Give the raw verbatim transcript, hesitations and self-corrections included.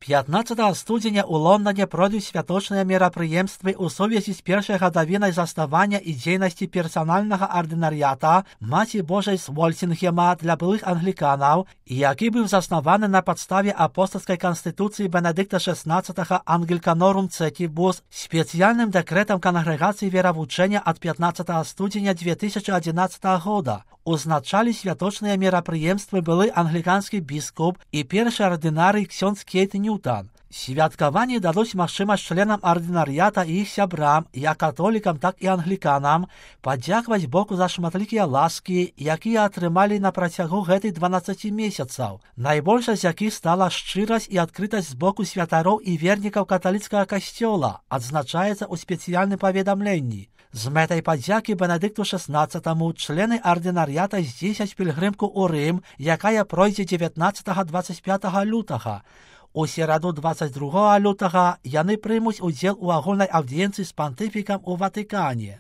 пятнадцатага студзеня ў Лондоне пройдуць святочныя мерапрыемствы ў сувязі з першай гадавінай заснавання і дзейнасці персанальнага ардынарыята Маці Божай з Вольсінгема для былых англіканаў, які быў заснаваны на падставе апостальскай канстытуцыі Бенедыкта шэснаццатага Ангеликанорум Цетибус спецыяльным дэкрэтам кангрэгацыі веравучэння ад пятнадцатага студзеня две тысячи адзінаццатага года. Узначалі святочныя мерапрыемствы былы англіканскі біскуп і першы ардынарый ксёндз Кейт Ньютон. Святкаванне дадуць магчымасць членам ардынарыята і іх сябрам, як католікам, так і англіканам, падзякаваць Богу за шматлікія ласкі, якія атрымалі на працягу гэтых дванаццаці месяцаў, найбольшай з якіх стала шчырасць і адкрытасць з боку святароў і вернікаў каталіцкага касцёла, адзначаецца ў спецыяльным паведамленні. З мэтай падзякі Бенедыкту шэснаццатаму члены ардынарыята здзейсняць пільгрымку ў Рым, якая пройдзе дзевятнаццатага - дваццаць пятага лютага. У сераду дваццаць другога лютага яны прымуць удзел у агульнай аўдыенцыі з пантыфікам у Ватыкане.